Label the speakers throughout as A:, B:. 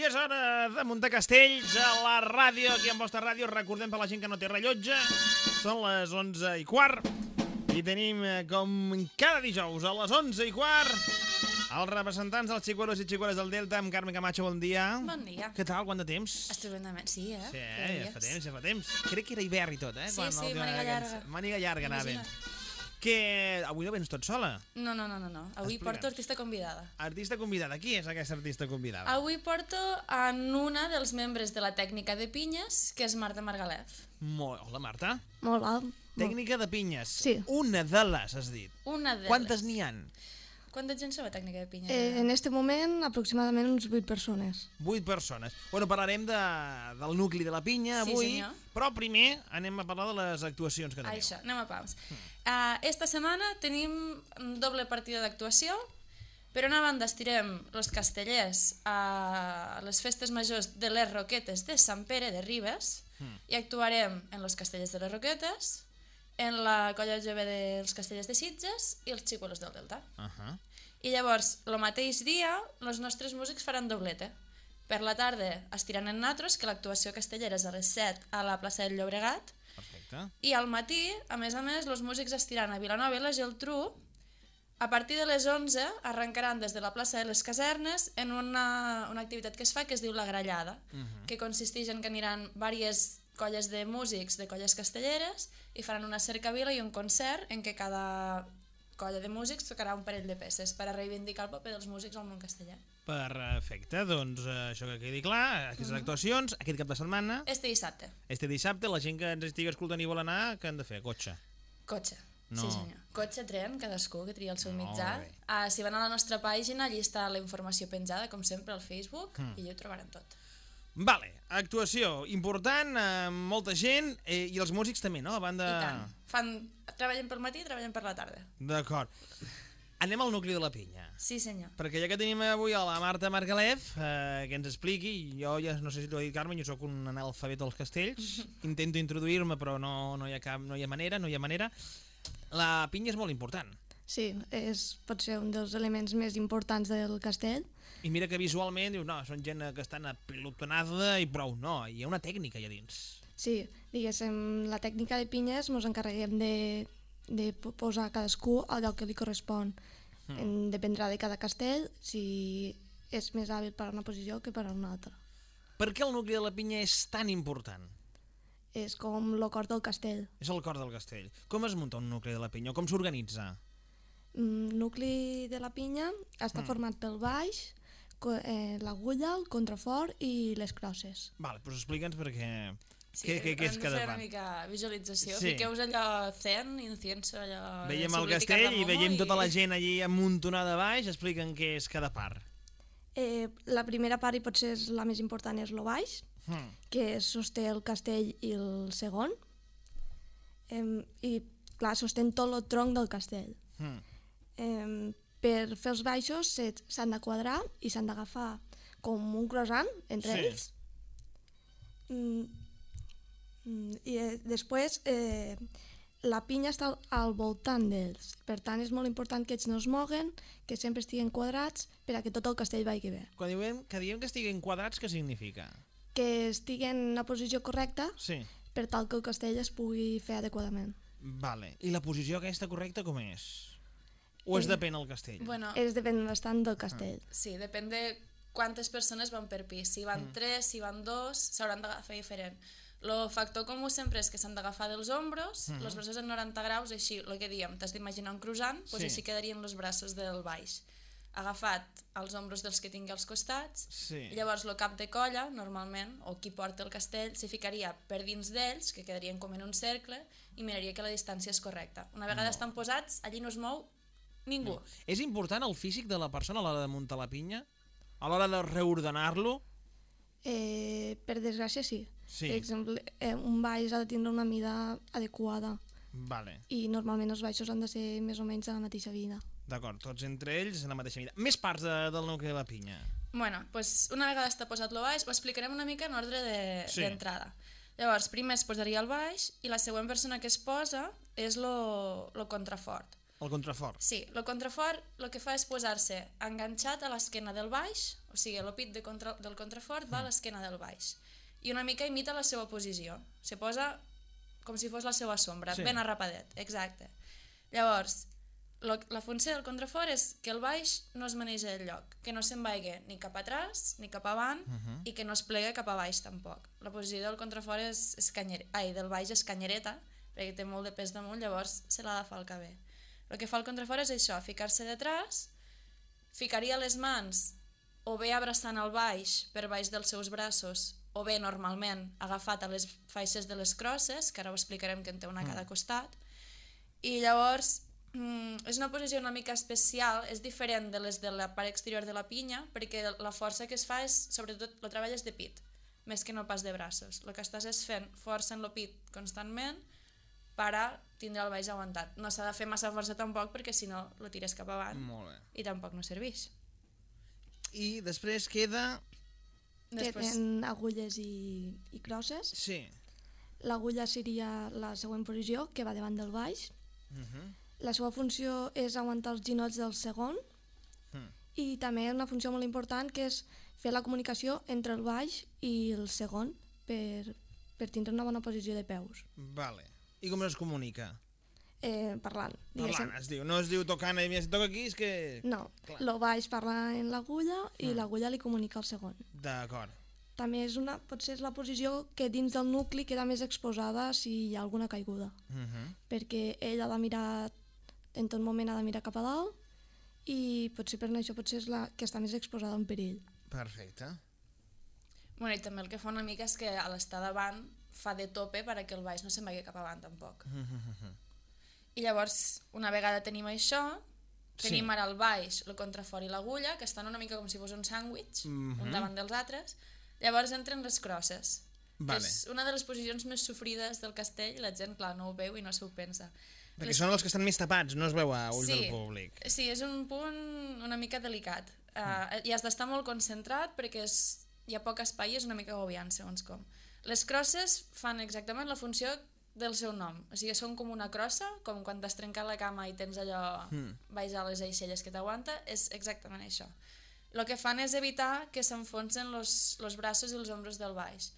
A: I és hora de muntar castells a la ràdio, aquí en vostra ràdio. Recordem per la gent que no té rellotge, són les 11:15 i tenim, com cada dijous, a les 11:15, els representants dels xicuelos i xicueles del Delta, amb Carme Camacho, bon dia.
B: Bon dia.
A: Què tal, quant de temps?
B: Estupendament, sí,
A: Sí, ja fa temps. Crec que era hivern i tot, eh?
B: Sí, màniga llarga.
A: Màniga llarga, anava. Que avui no vens tot sola.
B: No. Avui porto artista convidada.
A: Artista convidada. Qui és aquesta artista convidada?
B: Avui porto en una dels membres de la tècnica de pinyes, que és Marta Margalef.
A: Hola, Marta.
C: Molt val.
A: Tècnica de pinyes.
C: Sí.
A: Una de les, has dit.
B: Una de
A: Quantes n'hi han?
B: Quanta gent sou a tècnica de pinyes?
C: En este moment, aproximadament uns 8 persones.
A: 8 persones. Bueno, parlarem del nucli de la pinya
B: Sí,
A: avui,
B: senyor.
A: però primer anem a parlar de les actuacions que teniu.
B: Això, anem a paus. Esta setmana tenim doble partida d'actuació. Per una banda estirem els castellers a les festes majors de les Roquetes de Sant Pere de Ribes i actuarem en els castellers de les Roquetes, en la colla jove dels castellers de Sitges i els xicuelos del Delta. I llavors, el mateix dia, els nostres músics faran doblete. Per la tarda estiran en natros, que l'actuació castellera és a les 7 a la plaça del Llobregat.
A: Perfecte.
B: I al matí, a més, els músics estiran a Vilanova i la Geltrú. A partir de les 11 arrencaran des de la plaça de les Casernes en una activitat que es fa que es diu la grallada, que consisteix en que aniran diverses colles de músics de colles castelleres i faran una cercavila i un concert en què cada colla de músics tocarà un parell de peces per a reivindicar el paper dels músics al món castellà.
A: Perfecte, doncs això que quedi clar, aquestes actuacions, aquest cap de setmana,
B: Este dissabte.
A: este dissabte, la gent que ens estigui escoltant i vol anar, què han de fer? Cotxe.
B: Cotxe.
A: No.
B: Sí, senyor. Cotxe, tren, cadascú que tria el seu
A: Molt
B: mitjà.
A: bé.
B: Si van a la nostra pàgina, allí està la informació penjada, com sempre, al Facebook, i allà ho trobaran tot.
A: Vale, actuació important, molta gent, i els músics també, no? A banda...
B: I tant. Treballen pel matí i treballen per la tarda.
A: D'acord. Anem al nucli de la pinya.
B: Sí, senyor.
A: Perquè ja que tenim avui a la Marta Margalef, que ens expliqui, jo ja no sé si t'ho ha dit Carme, jo sóc un analfabet dels castells, intento introduir-me però no hi ha manera. La pinya és molt important.
C: Sí, pot ser un dels elements més importants del castell.
A: I mira que visualment dius, no, són gent que estan apilotonada i prou. No, hi ha una tècnica allà dins.
C: Sí, diguéssim, la tècnica de pinyes ens encarreguem de posar cadascú al lloc que li correspon. Dependrà de cada castell si és més hàbil per a una posició que per a una altra.
A: Per què el nucli de la pinya és tan important?
C: És com el cor del castell.
A: És el cor del castell. Com es munta un nucli de la pinya? Com s'organitza?
C: El nucli de la pinya està format pel baix, l'agulla, el contrafort i les crosses.
A: Vale, doncs explica'ns perquè...
B: Sí,
A: què és cada
B: fer una
A: part?
B: mica visualització.
A: Sí.
B: Fiqueu-vos allò zen, incienso, allò...
A: Veiem el castell i veiem tota la gent allí amuntonada baix. Explica'm què és cada part.
C: La primera part, i potser és la més important, és el baix, que sosté el castell i el segon. I, clar, sostén tot el tronc del castell. Per fer els baixos s'han de quadrar i s'han d'agafar com un croissant entre ells. I després la pinya està al voltant d'ells. Per tant, és molt important que ells no es moguen, que sempre estiguen quadrats per a que tot el castell vagi bé.
A: Quan diem que estiguin quadrats, què significa?
C: Que estiguen en una posició correcta
A: Sí.
C: per tal que el castell es pugui fer adequadament.
A: Vale. I la posició aquesta correcta com és? O es depèn del castell?
B: Bueno,
C: Depèn bastant del castell.
B: sí, depèn de quantes persones van per pis. Si van 3, si van 2, s'hauran d'agafar diferent. El factor comú sempre és que s'han d'agafar dels ombros, els braços en 90 graus, així, el que diem, t'has d'imaginar un croissant, doncs així quedarien els braços del baix. Agafat als ombros dels que tingui als costats,
A: Sí.
B: llavors el cap de colla, normalment, o qui porta el castell, s'hi ficaria per dins d'ells, que quedarien com en un cercle, i miraria que la distància és correcta. Una vegada estan posats, allí no es mou ningú.
A: És important el físic de la persona a l'hora de muntar la pinya? A l'hora de reordenar-lo?
C: Per desgràcia, sí.
A: Sí.
C: Per exemple, un baix ha de tindre una mida adequada
A: Vale,
C: i normalment els baixos han de ser més o menys de la mateixa vida.
A: d'acord, tots entre ells en la mateixa mida. Més parts del nucli de la pinya.
B: Bueno, doncs una vegada està posat el baix, ho explicarem una mica en ordre d'entrada. Llavors, primer es posaria el baix i la següent persona que es posa és el contrafort.
A: El contrafort.
B: Sí, el contrafort el que fa és posar-se enganxat a l'esquena del baix, o sigui, el pit del contrafort va a l'esquena del baix, i una mica imita la seva posició. Se posa com si fos la seva sombra, ben arrapadet, exacte. Llavors, la funció del contrafort és que el baix no es manegi del lloc, que no se'n vagi ni cap atràs ni cap avant i que no es plegui cap a baix tampoc. La posició del contrafort del baix és canyereta, perquè té molt de pes damunt, llavors se l'ha de falcar bé. El que fa el contrafort és això, ficar-se detrás, ficaria les mans o bé abraçant el baix per baix dels seus braços o bé normalment agafat a les faixes de les crosses, que ara ho explicarem que en té una a cada costat, i llavors és una posició una mica especial, és diferent de les de la part exterior de la pinya, perquè la força que es fa és, sobretot, el treball és de pit, més que no pas de braços. El que estàs és fent força en el pit constantment per a tindre el baix aguantat. No s'ha de fer massa força tampoc, perquè si no lo tires cap avant i tampoc no serveix.
A: I després queda...
C: Queden agulles i crosses.
A: Sí.
C: L'agulla seria la següent posició, que va davant del baix. La seva funció és aguantar els ginolls del segon i també una funció molt important que és fer la comunicació entre el baix i el segon per tindre una bona posició de peus.
A: Vale. I com es comunica?
C: Parlant.
A: Parlant, es diu. No es diu tocant, i si toca aquí és que...
C: No, el baix parla en l'agulla i l'agulla li comunica al segon.
A: D'acord.
C: També potser és la posició que dins del nucli queda més exposada si hi ha alguna caiguda. Perquè ell ha de mirar, en tot moment ha de mirar cap a dalt i potser per això és la que està més exposada en perill.
A: Perfecte.
B: Bueno, i també el que fa una mica és que a l'estar davant fa de tope perquè el baix no se'n vagi cap avant tampoc. I llavors, una vegada tenim això, tenim ara el baix, el contrafort i l'agulla, que estan una mica com si fos un sàndwich, un davant dels altres. Llavors entren les crosses, que és una de les posicions més sofrides del castell, i la gent, clar, no ho veu i no s'ho pensa.
A: Perquè són els que estan més tapats, no es veu a ulls del públic.
B: Sí, és un punt una mica delicat. I has d'estar molt concentrat perquè hi ha poc espai i és una mica agobiant, segons com. Les crosses fan exactament la funció del seu nom, o sigui, són com una crossa, com quan t'has trencat la cama i tens allò baix a les aixelles que t'aguanta, és exactament això. El que fan és evitar que s'enfonsen els braços i els ombros del baix.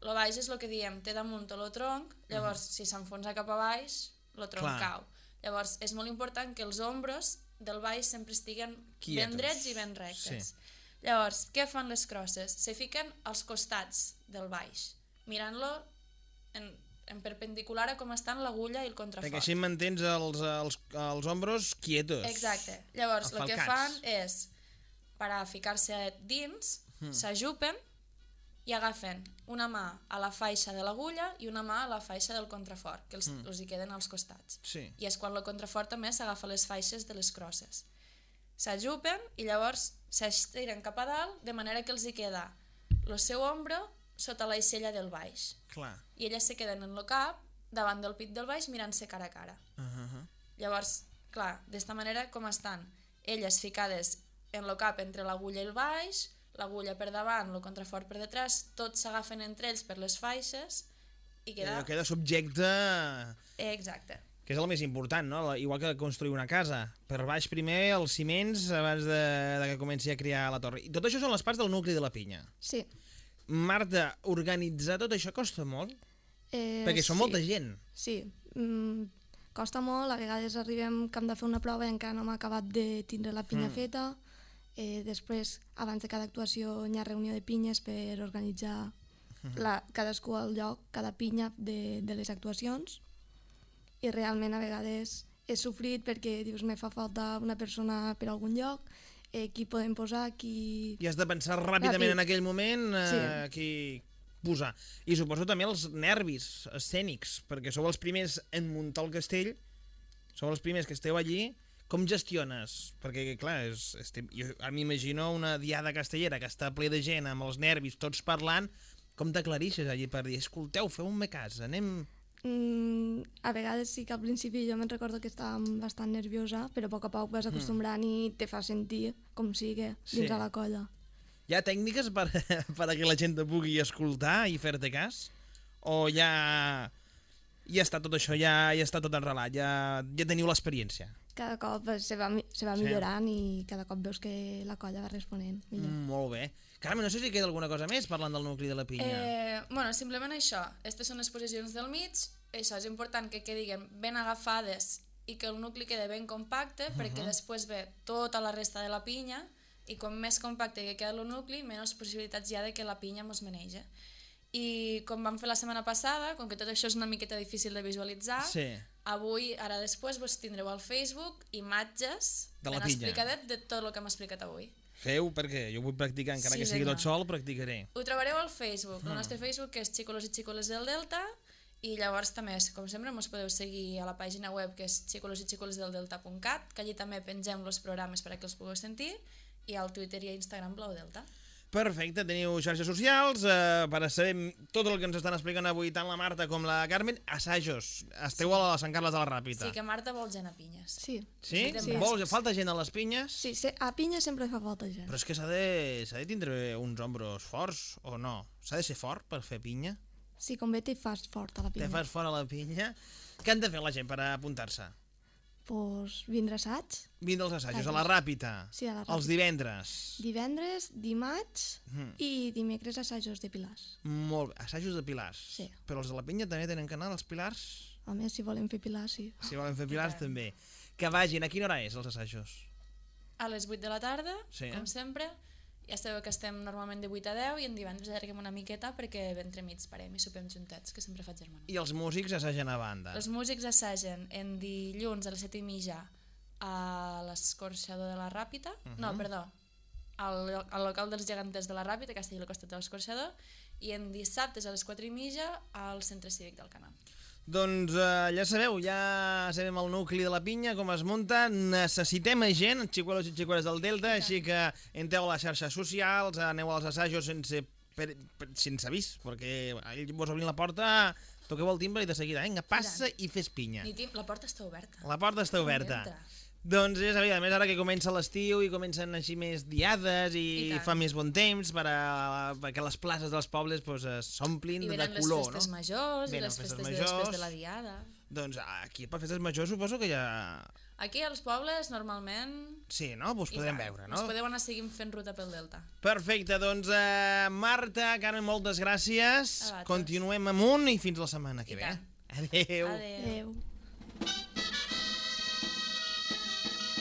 B: El baix és el que diem, té damunt el tronc, llavors si s'enfonsa cap a baix, el tronc cau. Llavors és molt important que els ombros del baix sempre estiguen ben drets i ben rectes. Llavors, què fan les crosses? Se fiquen als costats del baix, mirant-lo en perpendicular a com estan l'agulla i el contrafort.
A: Perquè així mantens els ombros quietos.
B: Exacte. Llavors, el que fan és, per a ficar-se dins, s'ajupen i agafen una mà a la faixa de l'agulla i una mà a la faixa del contrafort, que els hi queden als costats. I és quan el contrafort també s'agafa les faixes de les crosses. S'ajupen i llavors s'estiren cap a dalt, de manera que els hi queda el seu ombro sota l'aixella del baix. I elles se queden en el cap, davant del pit del baix, mirant-se cara a cara. Llavors, clar, d'esta manera com estan? Elles ficades en el cap entre l'agulla i el baix, l'agulla per davant, el contrafort per detrás, tots s'agafen entre ells per les faixes i
A: queda subjecte...
B: Exacte.
A: Que és el més important, no? Igual que construir una casa. Per baix primer els ciments abans de que comenci a crear la torre. I tot això són les parts del nucli de la pinya.
C: Sí.
A: Marta, organitzar tot això costa molt? Perquè són molta gent.
C: Sí, costa molt, a vegades arribem que hem de fer una prova i encara no hem acabat de tindre la pinya feta. Després, abans de cada actuació, hi ha reunió de pinyes per organitzar cadascú al lloc, cada pinya de les actuacions. I realment a vegades és sofrit perquè dius, me fa falta una persona per algun lloc, qui podem posar, qui...
A: I has de pensar ràpidament en aquell moment qui posar. I suposo també els nervis escènics, perquè sou els primers en muntar el castell, sou els primers que esteu allí. Com gestiones? Perquè, clar, jo m'imagino una diada castellera que està ple de gent amb els nervis, tots parlant. Com t'aclarixes allí per dir, escolteu, feu-me cas, anem...
C: A vegades sí que al principi jo me'n recordo que estava bastant nerviosa, però a poc vas acostumbrant i te fa sentir com sigui dins de la colla.
A: Hi ha tècniques per a que la gent te pugui escoltar i fer-te cas? O ja està tot això, ja està tot enrelat, ja teniu l'experiència?
C: Cada cop se va millorant i cada cop veus que la colla va responent millor.
A: Molt bé. Carme, no sé si queda alguna cosa més parlant del nucli de la pinya.
B: Bueno, simplement això. Aquestes són les posicions del mig. Això és important que quedin ben agafades i que el nucli quede ben compacte, perquè després ve tota la resta de la pinya i com més compacte que queda el nucli, menys possibilitats hi ha de que la pinya mos menege. I com vam fer la setmana passada, com que tot això és una miqueta difícil de visualitzar, avui, ara després, vos tindreu al Facebook imatges ben explicadet de tot el que hem explicat avui.
A: Feu, perquè jo vull practicar, encara que sigui tot sol, practicaré.
B: Ho trobareu al Facebook, el nostre Facebook, que és Xicolos i Xicoles del Delta, i llavors també, com sempre, ens podeu seguir a la pàgina web, que és xicolosixicolesdeldelta.cat, que allí també pengem els programes perquè els pugueu sentir, i al Twitter i a Instagram Blau Delta.
A: Perfecte, teniu xarxes socials per a saber tot el que ens estan explicant avui tant la Marta com la Carmen. Assajos, esteu a Sant Carles de la Ràpita.
B: Sí, que Marta vol gent a Pinyes.
C: Sí.
A: Sí? Falta gent a les pinyes?
C: Sí, a Pinyes sempre fa falta gent.
A: Però és que s'ha de tindre uns ombros forts, o no? S'ha de ser fort per fer pinya?
C: Sí, com bé t'hi fas fort a la pinya.
A: Te fas fort a la pinya? Què han de fer la gent per apuntar-se?
C: Doncs vindre assaig.
A: Vindre als assajos, a la Ràpita.
C: Sí, a la Ràpita.
A: Els divendres.
C: Divendres, dimarts i dimecres assajos de pilars.
A: Molt bé, assajos de pilars.
C: Sí.
A: Però els de la pinya també tenen que anar als pilars?
C: A més, si volen fer pilars, sí.
A: Si volen fer pilars, també. Que vagin, a quina hora és els assajos?
B: A les 8 de la tarda, com sempre. Ja sabeu que estem normalment de 8 a 10 i en divendres allarguem una miqueta perquè entremig parem i sopem juntets, que sempre faig germana.
A: I els músics assagen a banda?
B: Els músics assagen en dilluns a les 7:30 a l'Escorxador de la Ràpita, no, perdó, al local dels geganters de la Ràpita, que està allà al costat de l'Escorxador, i en dissabtes a les 4:30 al Centre Cívic del Canal.
A: Doncs ja sabeu, ja sabem el nucli de la pinya, com es munta, necessitem gent, xicuelos i xicueles del Delta, així que entreu a les xarxes socials, aneu als assajos sense avís, perquè ell vos obrin la porta, toqueu el timbre i de seguida, vinga, passa i fes pinya.
B: La porta està oberta.
A: La porta està oberta. Doncs ja sabia, a més ara que comença l'estiu i comencen així més diades i fa més bon temps perquè les places dels pobles s'omplin de color, no?
B: I venen les festes majors i les festes després de la diada.
A: Doncs aquí per festes majors suposo que ja...
B: Aquí als pobles normalment...
A: Sí, no? Us podrem veure, no?
B: Us podeu anar seguint fent ruta pel Delta.
A: Perfecte, doncs Marta, Carmen, moltes gràcies. Continuem amunt i fins la setmana que ve.
C: Adéu.